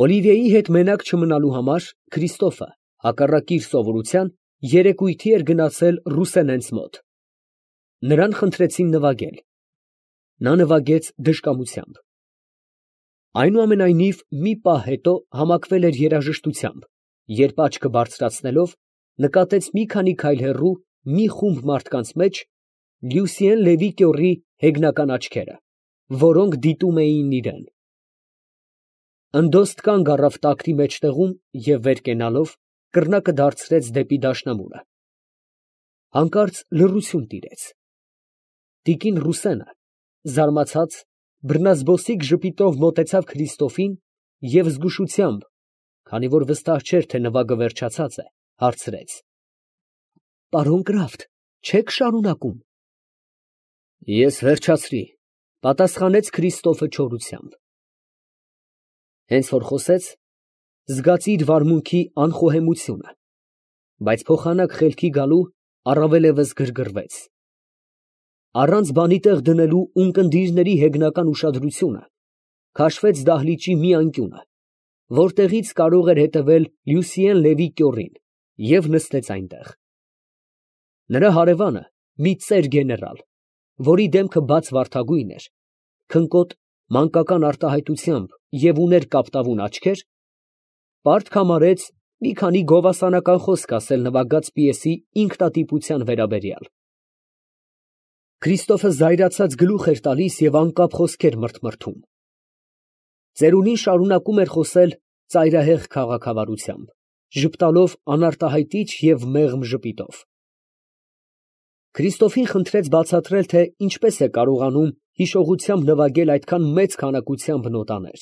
Օլիվիեի հետ մենակ չմնալու համար Քրիստոֆը, հակառակ իր սովորության, երեկույթի էր գնացել Ռուսենենց մոտ. նրան խնդրեցին նվագել. նա նվագեց դժկամությամբ։ Այնուամենայնիվ, մի պահ հետո համակվել էր երաժշտությամբ, երբ աչքը բարձրացնելով, նկատեց մի քանի քայլ հեռու մի խումբ մարդկանց մեջ Լյուսիեն Լևի կյոռի հեգնական աչքերը, որոնք դիտում էին իրան։ Ընդոստ կանգ առավ տակնի մեջտեղում և վեր կենալով կռնակը դարձրեց դեպի դաշնամուրը։ Հանկարծ լռություն տիրեց։ Տիկին Ռուսենը, զարմացած, բռնազբոսիկ ժպիտով մոտեցավ Քրիստոֆին և զգուշությամբ, քանի որ վստահ չէր, թե նվագը վերջացած է, հարցրեց. «Պարոն Կրաֆտ, չե՞ք շարունակում»։ «Ես վերջացրի», պատասխանեց Քրիստոֆը չորությամբ։ Հենց որ խոսեց, զգաց իր վարմունքի անխոհեմությունը, բայց փոխանակ խելքի գալու առավելևս գրգռվեց։ Առանց բանի տեղ դնելու ունկնդիրների հեգնական ուշադրությունը, քաշվեց դահլիճի մի անկյունը, որտեղից կարող էր հետևել Լյուսիեն Լևի կյոռին, և նստեց այնտեղ։ Նրա հարևանը, մի ծեր գեներալ, որի դեմքը բաց վարդագույն էր, քնկոտ, մանկական արտահայտությամբ և ուներ կապտավուն աչքեր, պարտք համարեց մի քանի գովասանական խոսք ասել նվագած պիեսի ինքնատիպության վերաբերյալ։ Քրիստոֆը զայրացած գլուխ էր տալիս և անկապ խոսքեր մրթմրթում։ Ծերունին շարունակում էր խոսել ծայրահեղ քաղաքավարությամբ, ժպտալով անարտահայտիչ և մեղմ ժպիտով։ Քրիստոֆին խնդրեց բացատրել, թե ինչպես է կարողանում հիշողությամբ նվագել այդքան մեծ քանակությամբ նոտաներ։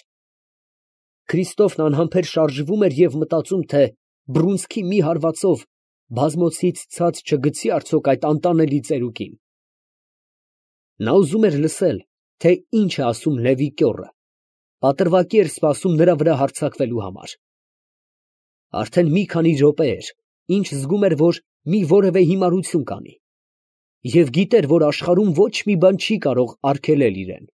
Քրիստոֆն անհամբեր շարժվում էր և մտածում, թե բռունցքի մի հարվածով բազմոցից ցած չգցի արդյոք այդ անտանելի ծերուկին։ Նա ուզում էր լսել, թե ինչ է ասում Լևի կյոռը, պատրվակի էր սպասում նրա վրա հարձակվելու համար։ Արդեն մի քանի րոպե էր, ինչ զգում էր, որ մի որևէ հիմարություն կանի, և գիտեր, որ աշխարհում ոչ մի բան չի կարող արգելել իրան։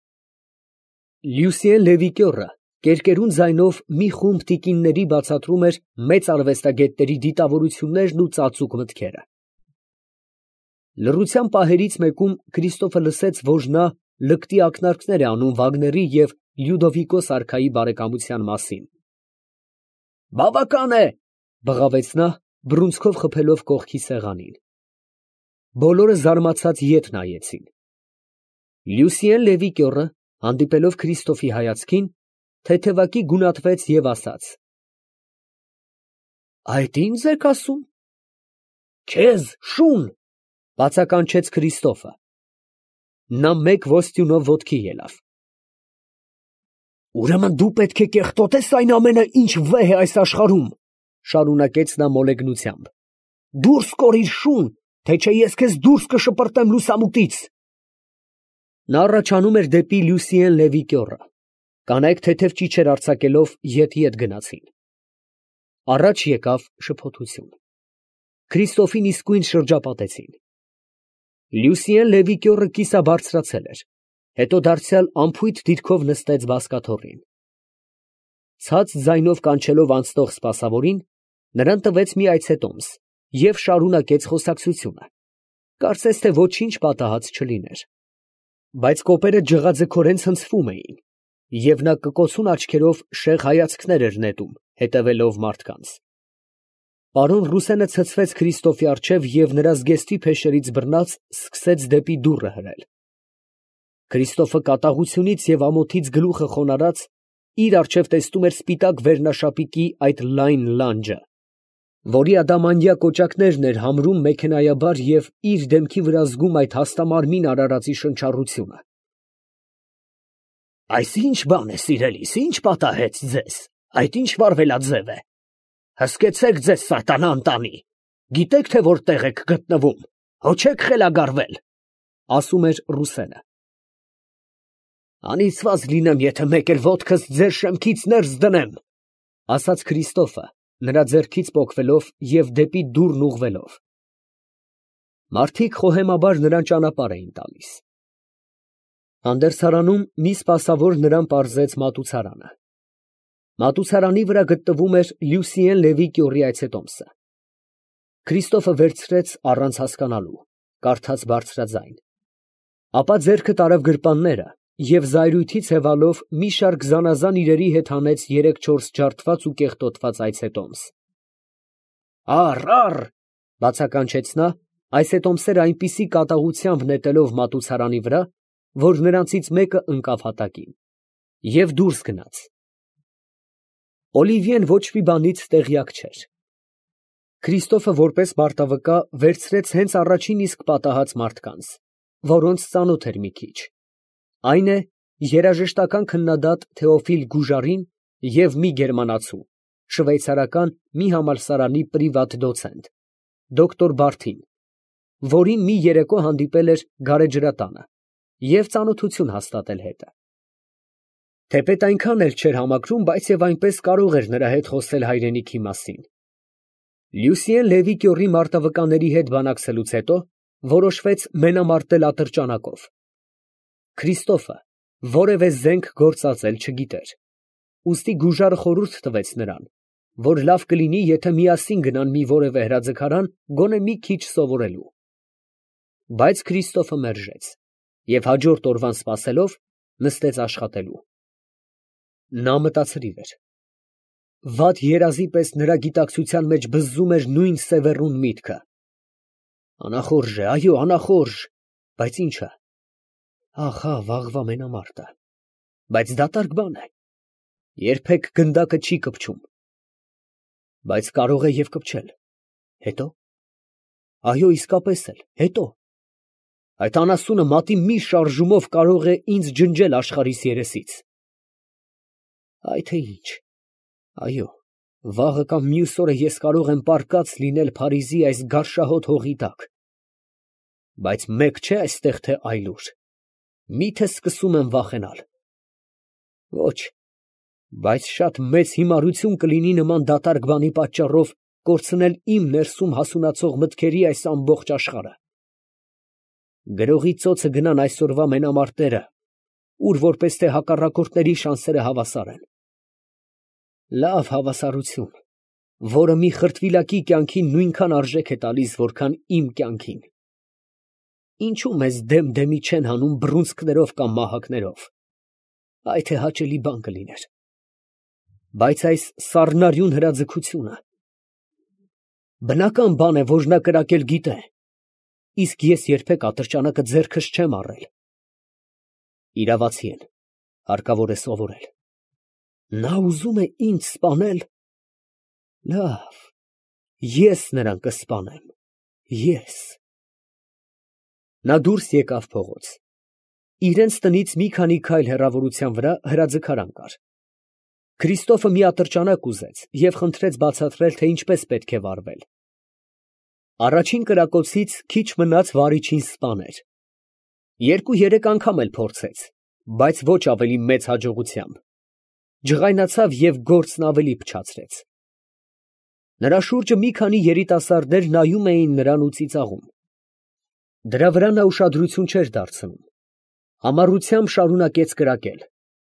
Լյուսիեն Լևի կյոռը կերկերուն ձայնով մի խումբ տիկինների բացատրում էր մեծ արվեստագետների դիտավորություններն ու ծածուկ մտքերը։ Լռության պահերից մեկում Քրիստոֆը լսեց, որ նա լկտի ակնարկներ է անում Վագների և Լյուդովիկոս արքայի բարեկամության մասին։ «Բավական է», բղավեց նա, բռունցքով խփելով կողքի սեղանին։ Բոլորը զարմացած ետ նայեցին։ Լյուսիեն Լևի կյոռը, հանդիպելով Քրիստոֆի հայացքին, թեթևակի գունատվեց և ասաց. «Այդ ի՞նձ եք ասում»։ «Քեզ, շուն», բացականչեց Քրիստոֆը։ Նա մեկ ոստյունով ոտքի ելավ։ «Ուրեմն դու պետք է կեղտոտես այն ամենը, ինչ վեհ է այս աշխարհում», շարունակեց նա մոլեգնությամբ։ «Դուրս կորիր, շուն, թե չէ ես քեզ դուրս կշպրտեմ լուսամուտից»։ Նա առաջանում էր դեպի Լյուսիեն Լևի կյոռը։ Կանայք թեթև ճիչեր արձակելով ետ գնացին։ Առաջ եկավ շփոթություն։ Քրիստոֆին իսկույն շրջապատեցին։ Լյուսիեն Լևի կյոռը կիսաբարձրացել էր, հետո դարձյալ անփույթ դիրքով նստեց բազկաթոռին։ Ցած ձայնով կանչելով անցնող սպասավորին, նրան տվեց մի այցետոմս և շարունակեց խոսակցությունը, կարծես թե ոչինչ պատահած չլիներ։ Բայց կոպերը ջղաձգորեն ցնցվում էին, և նա կկոցուն աչքերով շեղ հայացքներ էր նետում, հետևելով մարդկանց։ Պարոն Ռուսենը ցցվեց Քրիստոֆի առջև և նրա զգեստի փեշերից բռնած սկսեց դեպի դուռը հրել։ Քրիստոֆը կատաղությունից և ամոթից գլուխը խոնարհած իր առջև տեսնում էր սպիտակ վերնաշապիկի այդ լայն լանջը, որի ադամանդյա կոճակներն էր համրում մեքենայաբար և իր դեմքի վրա զգում այդ հաստամարմին արարածի շնչառությունը։ «Այս ի՞նչ բան է, սիրելիս, ի՞նչ պատահեց ձեզ, այդ ի՞նչ վարվելաձև է։ Հսկեցեք ձեզ, սատանա ընտանի, գիտեք, թե որտեղ եք գտնվում, հո չեք խելագարվել», ասում էր Ռուսենը։ «Անիծված լինեմ, եթե մեկ էլ ոտքս ձեր շեմքից ներս դնեմ», ասաց Քրիստոֆը, նրա ձեռքից պոկվելով և դեպի դուռն ուղղվելով։ Մարդիկ խոհեմաբար նրան ճանապարհ էին տալիս։ Հանդերձարանում մի սպասավոր նրան պարզեց մատուցարանը։ Մատուցարանի վրա գտնվում էր Լյուսիեն Լևի կյորի այցետոմսը։ Քրիստոֆը վերցրեց առանց հասկանալու, կարդաց բարձրաձայն, ապա ձեռքը տարավ գրպանները և զայրույթից հևալով մի շարք զանազան իրերի հետ հանեց 3-4 ջարդված ու կեղտոտված այցետոմս։ «Առ, բացականչեց նա, այցետոմսերը այնպիսի կատաղությամբ նետելով մատուցարանի վրա, որ նրանցից մեկը ընկավ հատակին, և դուրս գնաց։ Օլիվիեն ոչ մի բանից տեղյակ չէր։ Քրիստոֆը որպես մարտավկա վերցրեց հենց առաջին իսկ պատահած մարդկանց, որոնց ծանոթ էր մի քիչ, այն է, երաժշտական քննադատ Թեոֆիլ Գուժարին և մի գերմանացու, շվեյցարական մի համալսարանի պրիվատ դոցենտ, դոկտոր Բարթին, որին մի երեկո հանդիպել էր գարեջրատանը և ծանոթություն հաստատել հետը։ Թեպետ այնքան էլ չէր համակրում, բայց և այնպես կարող էր նրա հետ խոսել հայրենիքի մասին։ Լյուսիեն Լևի կյորի մարտավկաների հետ բանակցելուց հետո որոշվեց մենամարտել ատրճանակով։ Քրիստոֆը որևէ զենք գործածել չգիտեր, ուստի Գուժարը խորհուրդ տվեց նրան, որ լավ կլինի, եթե միասին գնան մի որևէ հրաձգարան գոնե մի քիչ սովորելու։ Բայց Քրիստոֆը մերժեց և հաջորդ օրվան սպասելով նստեց աշխատելու։ Նա մտածրիվ էր։ Վատ երազի պես նրա գիտակցության մեջ բզզում էր նույն սևեռուն միտքը. անախորժ է, այո, անախորժ, բայց ի՞նչը, ահա վաղվա մենամարտը, բայց դատարկ բան է, երբեք գնդակը չի կպչում, բայց կարող է և կպչել, հետո, այո, իսկապես էլ, հետո, այդ անասունը մատի մի շարժումով կարող է ինձ ջնջել աշխարհիս երեսից։ Այ թե ինչ, այո, վաղը կամ մյուս օրը ես կարող եմ պառկած լինել Փարիզի այս գարշահոտ հողի տակ, բայց մեկ չէ այստեղ թե այլուր, մի՞թե սկսում եմ վախենալ։ Ոչ, բայց շատ մեծ հիմարություն կլինի նման դատարկ բանի պատճառով կորցնել իմ ներսում հասունացող մտքերի այս ամբողջ աշխարհը։ Գրողի ծոցը գնան այսօրվա մենամարտերը, ուր որպես թե հակառակորդների շանսերը հավասար են։ Լավ հավասարություն, որը մի խրտվիլակի կյանքին նույնքան արժեք է տալիս, որքան իմ կյանքին։ Ինչու մեզ դեմ֊դեմի չեն հանում բռունցքներով կամ մահակներով, այ թե հաճելի բան կլիներ։ Բայց այս սառնարյուն հրաձգությունը, բնական բան է, որ նա կրակել գիտե, իսկ ես երբեք ատրճանակը ձեռքս չեմ առել։ Իրավացի են, հարկավոր է սովորել։ Նա ուզում է ինձ սպանել։ Լավ, ես նրան կսպանեմ, ես։ Նա դուրս եկավ փողոց։ Իրենց տնից մի քանի քայլ հեռավորության վրա հրաձգարան կար։ Քրիստոֆը մի ատրճանակ ուզեց և խնդրեց բացատրել, թե ինչպես պետք է վարվել։ Առաջին կրակոցից քիչ մնաց վարիչին սպաներ։ 2-3 անգամ էլ փորձեց, բայց ոչ ավելի մեծ հաջողությամբ։ Ջղայնացավ և գործն ավելի փչացրեց։ Նրա շուրջը մի քանի երիտասարդներ նայում էին նրան ու ծիծաղում։ Դրա վրա նա ուշադրություն չէր դարձնում։ Համառությամբ շարունակեց կրակել,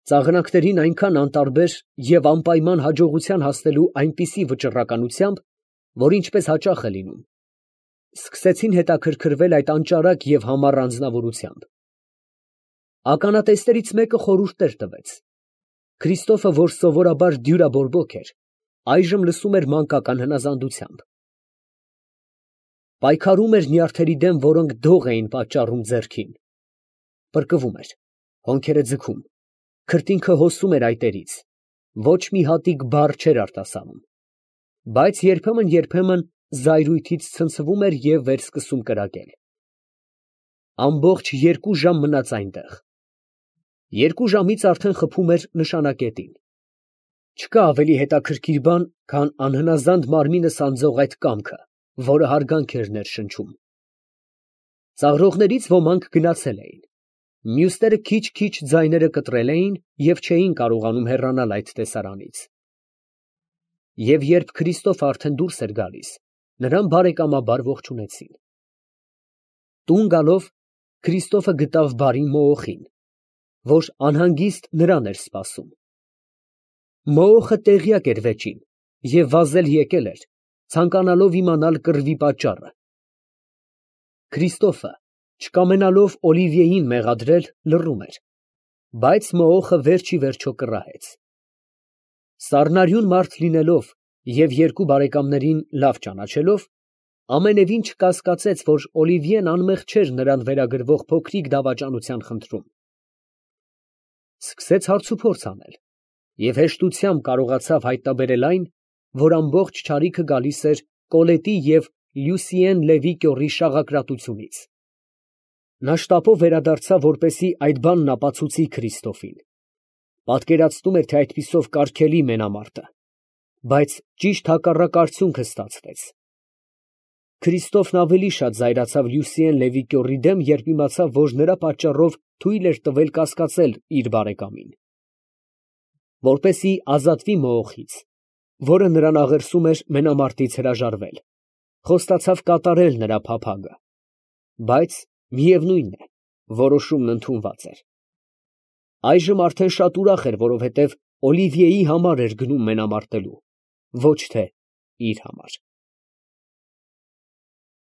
ծաղրանքներին այնքան անտարբեր և անպայման հաջողության հասնելու այնպիսի վճռականությամբ, որ ինչպես հաճախ է լինում, սկսեցին հետաքրքրվել այդ անճարակ և համառ անձնավորությամբ։ Ականատեսներից մեկը խորհուրդներ տվեց։ Քրիստոֆը, որ սովորաբար դյուրաբորբոք էր, այժմ լսում էր մանկական հնազանդությամբ։ Պայքարում էր նյարդերի դեմ, որոնք դող էին պատճառում ձեռքին։ Պրկվում էր, հոնքերը ձգում, քրտինքը հոսում էր այտերից, ոչ մի հատիկ բառ չէր արտասանում, բայց երբեմն զայրույթից ցնցվում էր և վերսկսում կրակել։ Ամբողջ 2 ժամ մնաց այնտեղ։ 2 ժամից արդեն խփում էր նշանակետին։ Չկա ավելի հետաքրքիր բան, քան անհնազանդ մարմինը սանձող այդ կամքը, որը հարգանք էր ներշնչում։ Ծաղրողներից ոմանք գնացել էին, մյուսները քիչ֊քիչ ձայները կտրել էին և չէին կարողանում հեռանալ այդ տեսարանից։ Եվ երբ Քրիստոֆը արդեն դուրս էր գալիս, նրան բարեկամաբար ողջունեցին։ Տուն գալով Քրիստոֆը գտավ բարի մոոխին, որ անհանգիստ նրան էր սպասում։ Մոոխը տեղյակ էր վեճին և վազել եկել էր, ցանկանալով իմանալ կռվի պատճառը։ Քրիստոֆը, չկամենալով Օլիվիեին մեղադրել, լռում էր, բայց մոոխը վերջ ի վերջո կռահեց։ Սառնարյուն մարդ լինելով և երկու բարեկամներին լավ ճանաչելով, ամենևին չկասկածեց, որ Օլիվիեն անմեղ չէր նրան վերագրվող փոքրիկ դավաճանության խնդրում։ Սկսեց հարցուփորձ անել և հեշտությամբ կարողացավ հայտնաբերել այն, որ ամբողջ չարիքը գալիս էր Կոլետի և Լյուսիեն Լևի կյոռի շաղակրատությունից։ Նա շտապով վերադարձավ, որպեսզի այդ բանն ապացուցի Քրիստոֆին։ Պատկերացնում էր, թե այդպիսով կարգելի մենամարտը, բայց ճիշտ հակառակ արդյունքը ստացվեց։ Քրիստոֆն ավելի շատ զայրացավ Լյուսիեն Լևի կյոռի դեմ, երբ իմացավ, որ նրա պատճառով թույլ էր տվել կասկածել իր բարեկամին։ Որպեսզի ազատվի մոոխից, որը նրան աղերսում էր մենամարտից հրաժարվել, խոստացավ կատարել նրա փափագը, բայց միևնույն է, որոշումն ընդունված էր։ Այժմ արդեն շատ ուրախ էր, որովհետև Օլիվիեի համար էր գնում մենամարտելու, ոչ թե իր համար։